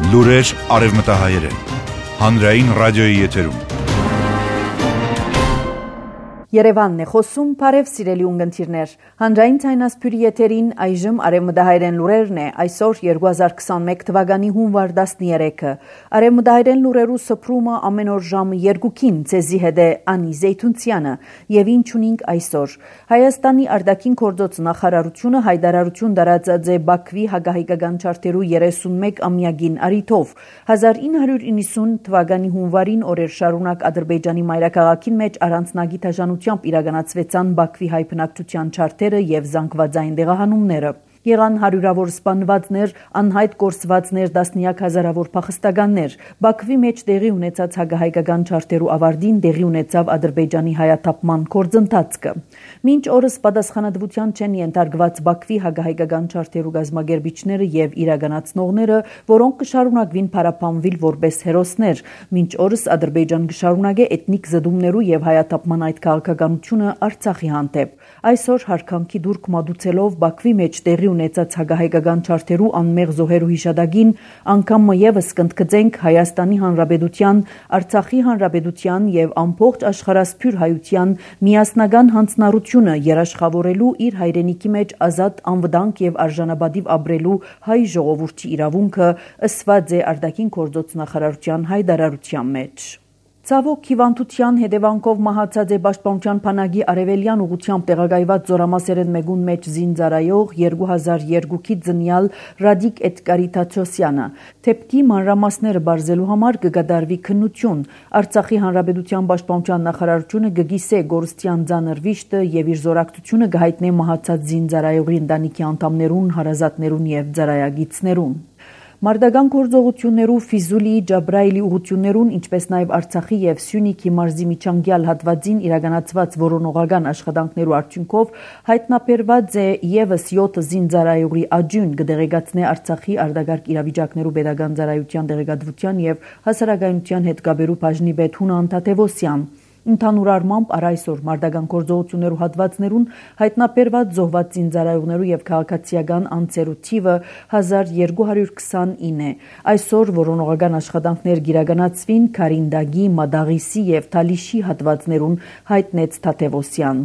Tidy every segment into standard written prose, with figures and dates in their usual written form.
Լուրեր արևմտահայերեն։ Հանրային ռադիոյի եթերում։ Երևանն է խոսում, բարև սիրելի ունգընտիրներ։ Հանրային ցայնասփյուրի եթերին այժմ արևմտահայերեն լուրերն է, այսօր 2021 թվականի հունվար 13-ը։ Արևմտահայերեն լուրերու սփռումը ամեն օր ժամը 2-ին ցեզի հետ է Անի Զեյթունցյանը, եւ ինչ ունենք այսօր։ Հայաստանի արտաքին գործոց նախարարությունը հայտարարություն տարածած է Բաքվի հակահայկական չարտերու 31-ամյակին առիթով 1990 թվականի հունվարին օրեր շարունակ Ադրբեջանի մայրաքաղաքին մեջ առանձնագի իրականացվեցան Բաքվի հայ բնակչության չարտերը եւ զանգվածային դեղահանումները։ Եղան հարյուրավոր սպանվածներ, անհայտ կորսվածներ, տասնյակ հազարավոր փախստականներ։ Բաքվի մեջ տեղի ունեցած հակահայկական չարտերու ավարտին տեղի ունեցավ Ադրբեջանի հայաթափման գործընթացը։ Մինչ օրս պատասխանատվության չեն ենթարկված Բաքվի հակահայկական չարտերու գազագերբիչները եւ իրականացնողները, որոնք կշարունակվին փարապանվել որպես հերոսներ։ Մինչ օրս Ադրբեջան կշարունակե էթնիկ զդումներու եւ հայաթափման այդ քաղաքականությունը Արցախի հանդեպ։ Այսօր հարկանքի դուրք մատուցելով Բաքվի մեջ տեղի ունեցած հակահայկական չարտերու անմեղ զոհերու հիշադակին անգամ եւս կընդգծենք Հայաստանի Հանրապետության, Արցախի Հանրապետության եւ ամբողջ աշխարհասփյուր հայության միասնական հանձնառությունը երաշխավորելու իր հայրենիքի մեջ ազատ, անվտանգ եւ արժանապատիվ ապրելու հայ ժողովրդի իրավունքը ըսված է արտաքին գործոց նախարարության հայտարարության մեջ։ Ցավոք հիվանդության հետևանքով մահացած է Պաշտպանության բանակի արևելյան ուղղությամբ տեղակայված զորամասերեն մեկուն մեջ զինծառայող 2002-ի ծնյալ Ռադիկ Էդգարի-Թադրոսյանը։ Թեփքի մանրամասները բարձելու համար կգադարվի քննություն։ Արցախի Հանրապետության Պաշտպանության նախարարությունը կգիսե գորստյան ծանր վիշտը եւ իր զորակցությունը կհայտնի մահացած զինծառայողի ընտանիքի անդամներուն, հարազատներուն եւ ծառայագիցներուն։ Մարտական գործողություններու Ֆիզուլիի Ջաբրայելի ուղղություններուն, ինչպես նաև Արցախի եւ Սյունիքի մարզի միջանկյալ հատվածին իրականացված որոնողական աշխատանքներու արդյունքով հայտնաբերված է եւս 7 զինծառայողի աճյուն կդեղեկացնե Արցախի արտակարգ իրավիճակներու pedagogan ծառայության դեղեկատվության եւ հասարակայնության հետ կապերու բաժնի պետ Հունան Թադևոսյան։ Ընդհանուր առմամբ այսօր մարտական գործողություններու հատվածներուն հայտնաբերված զոհված զինծառայողներու եւ քաղաքացիական անձերու թիվը 1229 է։ Այսօր որոնողական աշխատանքներ կիրականացվին Քարինդագի, Մադաղիսի եւ Թալիշի հատվածներուն, հայտնեց Թադևոսյան։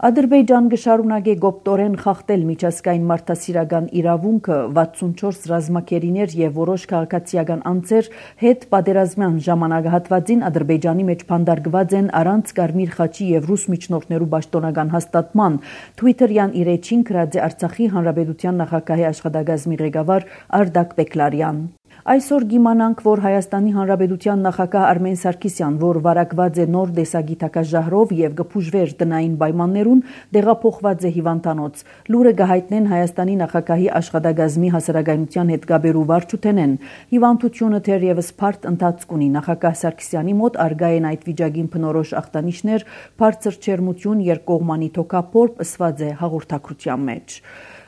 Ադրբեջան կշարունակե գոպտորեն խախտել միջազգային մարդասիրական իրավունքը 64 ռազմակերիներ եւ որոշ քաղաքացիական անձեր հետ պատերազմյան ժամանակահատվածին Ադրբեջանի մեջ փանդարգված են առանց Կարմիր խաչի եւ ռուս միջնորդներու պաշտոնական հաստատման։ Twitter-յան իր էջին գրած է Արցախի Հանրապետության նախագահի աշխատակազմի ղեկավար Արդակ Բեկլարյան։ Այսօր գիմանանք, որ Հայաստանի Հանրապետության նախագահ Արմեն Սարգսյան, որ վարակված է նոր տեսակի թակազհարով եւ գփուժվեր տնային պայմաններուն, տեղափոխված է հիվանդանոց։ Լուրը կհայտնեն Հայաստանի նախագահի աշխատակազմի հասարակայնության հետ կապերու վարչութենեն։ Հիվանդությունը թերևս բարդ ընթացք ունի։ Նախագահ Սարգսյանի մոտ արգա են այդ վիճակին բնորոշ ախտանիշներ, բարձր ջերմություն, երկկողմանի թոքափորբ, ըսված է հաղորդակցության մեջ։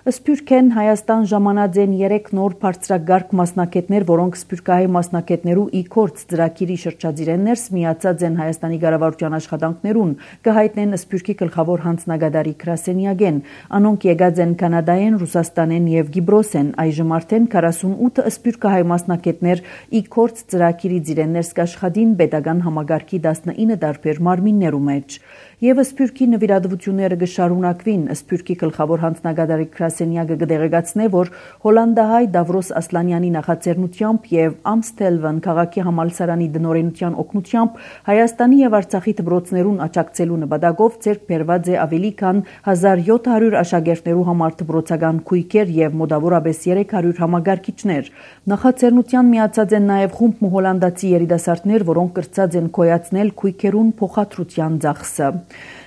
Սփյուռքեն Հայաստան ժամանած են 3 նոր բարձրագարկ մասնակետներ, որոնք սփյուռքահայ մասնակետներու իքորց ծրագիրի շրջադիրներս միացած են Հայաստանի կառավարության աշխատանքներուն, կհայտնեն Սփյուռքի գլխավոր հանձնագետարի Գրասենյագեն։ Անոնք եկած են Կանադայեն, Ռուսաստանեն եւ Կիպրոսեն։ Այժմ արդեն 48 սփյուռքահայ մասնակետներ իքորց ծրագիրի ծիրեններս կաշխատին pedagogan համագարքի 19 տարբեր մարմիններու մեջ։ Եվ Սփյուռքի նվիրատվությունները կշարունակվին։ Սփյուռքի գլխավոր հանձնագետարի Գրասենյակը կդեղեկացնե, որ հոլանդահայ Դավրոս Ասլանյանի նախաձեռնությամբ եւ Ամստելվեն քաղաքի համալսարանի դնորենության օգնությամբ Հայաստանի եւ Արցախի դպրոցներուն աջակցելու նպատակով ձեռք բերված է ավելի քան 1700 աշակերտներու համար դպրոցական քույքեր եւ մոտավորապես 300 համագարկիչներ։ Նախաձեռնության միացած են նաեւ խումբ հոլանդացի երիտասարդներ, որոնք կրծած են կոյացնել քույքերուն փոխադրության ծախսը։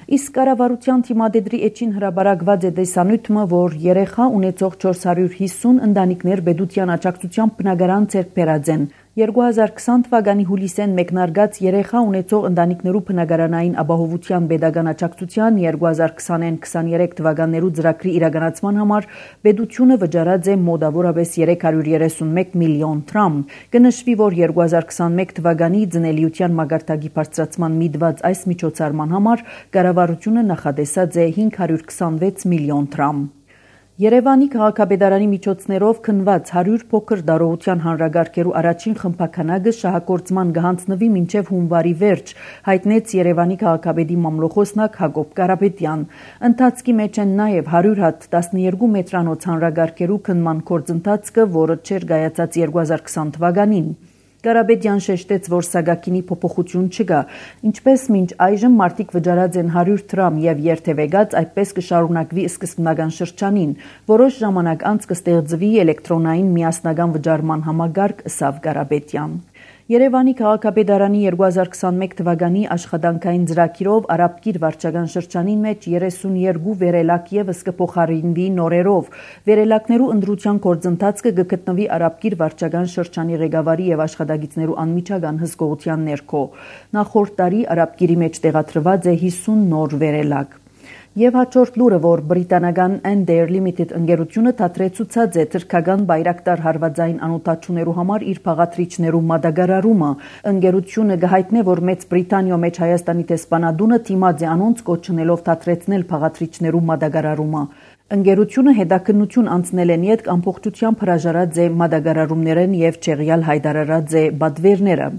Իսկ կառավարության թիմադեդրի էջին հրաբարակված է տեսանյութը, որ երեխա ունեցող 450 ընտանիքներ պետության աջակցությամբ բնակարան ձեռք բերած են։ 2020 թվականի հուլիսեն մեկնարկած երեխա ունեցող ընտանիքներու բնակարանային ապահովության pedagogan աջակցության 2020-23 թվականներու ծրագրի իրականացման համար պետությունը վճարած է մոտավորապես 331 միլիոն դրամ։ Կնշվի, որ 2021 թվականի ծնելիության մակարդակի բարձրացման միտված այս միջոցառման համար կառավարությունը նախատեսած է 526 միլիոն դրամ։ Երևանի քաղաքապետարանի միջոցներով քննված 100 փոքր դարողության հանրագարքերու առաջին խմբականակը շահագործման կհանձնվի մինչև հունվարի վերջ, հայտնեց Երևանի քաղաքապետի մամլոխոսնակ Հակոբ Կարապետյան։ Ընթացքի մեջ են նաև 100 հատ 12 մետրանոց հանրագարքերու քննման գործընթացը, որը չէր կայացած 2020 թվականին։ Կարապետյան շեշտեց, որ սագակինի փոփոխություն չկա, ինչպես մինչ այժմ մարդիկ վճարած են 100 դրամ եւ երթևեկած, այդպես կշարունակվի սկզբնական շրջանին, որոշ ժամանակ անց կստեղծվի էլեկտրոնային միասնական վճարման համագարկ, ըսավ Կարապետյան։ Երևանի քաղաքապետարանի 2021 թվականի աշխատանքային ծրագիրով Արաբկիր վարչական շրջանին մեջ 32 վերելակ եւս կփոխարինվի նորերով։ Վերելակներու ընտրության գործընթացը կգտնվի Արաբկիր վարչական շրջանի ղեկավարի եւ աշխատակիցներու անմիջական հսկողության ներքո։ Նախորդ տարի Արաբկիրի մեջ տեղադրված է 50 նոր վերելակ։ Եվ հաջորդ լուրը, որ բրիտանական Ender Limited ընկերությունը դադրեցուցած է թրքական բայրակտար հարվածային անօթաչուներու համար իր փաղադրիչներու մատակարարումը։ Ընկերությունը կհայտնե, որ Մեծ Բրիտանիո մեջ Հայաստանի տեսփանադունը դիմաց է անոնց կոչնելով դադրեցնել փաղադրիչներու մատակարարումը։ Ընկերությունը հետաքննություն անցնել են յետ ամբողջությամբ հրաժարած է մատակարարումներեն եւ չեղյալ հայտարարած է բադվերները։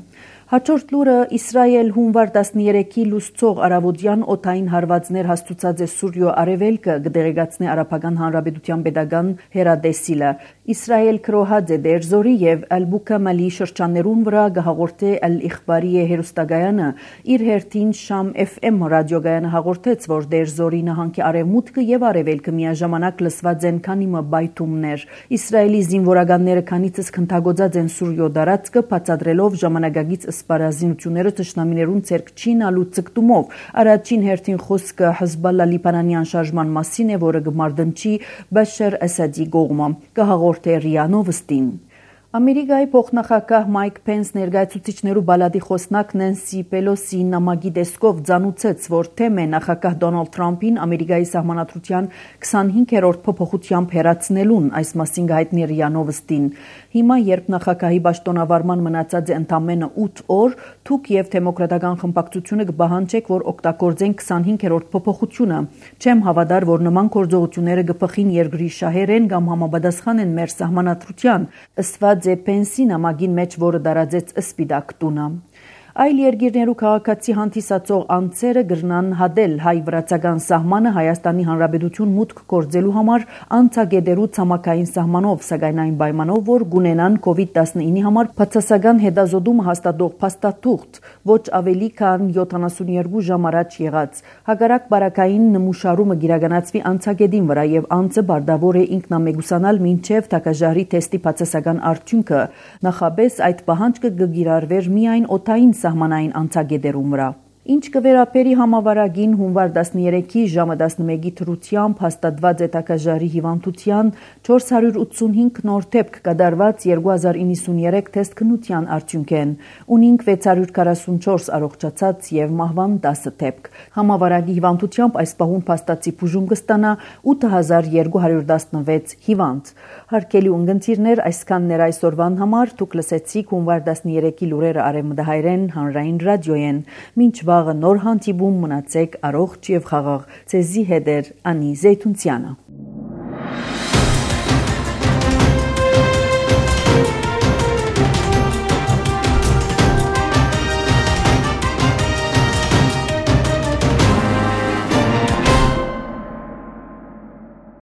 Հաջորդ լուրը Իսրայել հունվար 13-ի լուսցող արավոտյան օդային հարվածներ հաստուցած է Սուրյո Արևելքը, կդեղեկացնի Արաբական Հանրապետության պետական հեռադեսիլը։ Իսրայել քրոհած է Դերզորի եւ Ալ-Բուկամալի շրջաններուն վրա կհաղորդե Ալ-Իխբարիե հերոստագայանը իր հերթին Շամ FM ռադիոգայանը հաղորդեց, որ Դերզորի նահանգի արևմուտքը եւ արևելքը միաժամանակ լսված են քանի մը բայթումներ։ Իսրայելի զինվորականները քանիցս քնթագոծած են Սուրյո դարածքը, բացատրելով ժամանակակից սպառազինությունները թշնամիներուն ցերկ չինալու ցկտումով։ Առաջին հերթին խոսքը Հեզբոլլա լիբանանյան շարժման մասին է, որը կմարդնչի Բաշար Ասադի կողմը։ Կհաղորդե Ռիա Նովստին։ Ամերիկայի փոխնախագահ Մայք Փենս ներկայացուցիչներու բալադի խոսնակ Նենսի Պելոսի նամակի տեսքով ցանուցեց, որ թեմ է նախագահ Դոնալդ Թրամփին Ամերիկայի սահմանադրության 25-րդ փոփոխությամբ հերացնելուն, այս մասին հայտնի Ռիա Նովստին։ Հիմա, երբ նախագահի պաշտոնավարման մնացած է ընդամենը 8 օր, թուք եւ դեմոկրատական խմբակցությունը կբահանջեք, որ օգտագործեն 25-րդ փոփոխությունը։ Չեմ հավատար, որ նման գործողությունները կփխին երկրի շահերեն կամ համապատասխան են մեր սահմանադրության, ըստ Պենսի նամակին մեջ, որը դարաձեց Սպիտակ տունը։ Այլ երկիրներու քաղաքացի հանդիսացող անձերը կրնան հադել հայ-վրացական սահմանը Հայաստանի Հանրապետություն մուտք գործելու համար անցագետերու ցամաքային սահմանով, սակայն այն պայմանով, որ գունենան COVID-19-ի համար բացասական հետազոտում հաստատող փաստաթուղթ, ոչ ավելի քան 72 ժամ առաջ եղած։ Հակառակ բարակային նմուշարումը կիրականացվի անցագետին վրա եւ անձը բարդավոր է ինքնամեկուսանալ մինչեւ թակաժարի թեստի բացասական արդյունքը։ Նախապես այդ պահանջը կգիրառվեր միայն օդային սահմանային անցագետերում վրա։ Ինչ կվերապերի համավարագին հունվար 13-ի ժամը 11-ի թրությամբ հաստատված է թակաժարի հիվանդության 485 նոր դեպք կատարված 2093 թեստ քննության արդյունքեն, ունինք 644 առողջացած եւ մահվան 10 դեպք։ Համավարագի հիվանդությամբ այս պահուն փաստացի բուժում կստանա 8216 հիվանդ։ Հարգելի ունգընտիրներ, այսքանն էր այսօրվան համար, դուք լսեցիք հունվար 13-ի լուրերը Արևմտահայերեն հանրային ռադիոյեն։ Մինչ վաղը նոր հանդիպում, մնացեք առողջ եւ խաղաղ։ Ձեզի հետ էր Անի Զեյթունցյանը։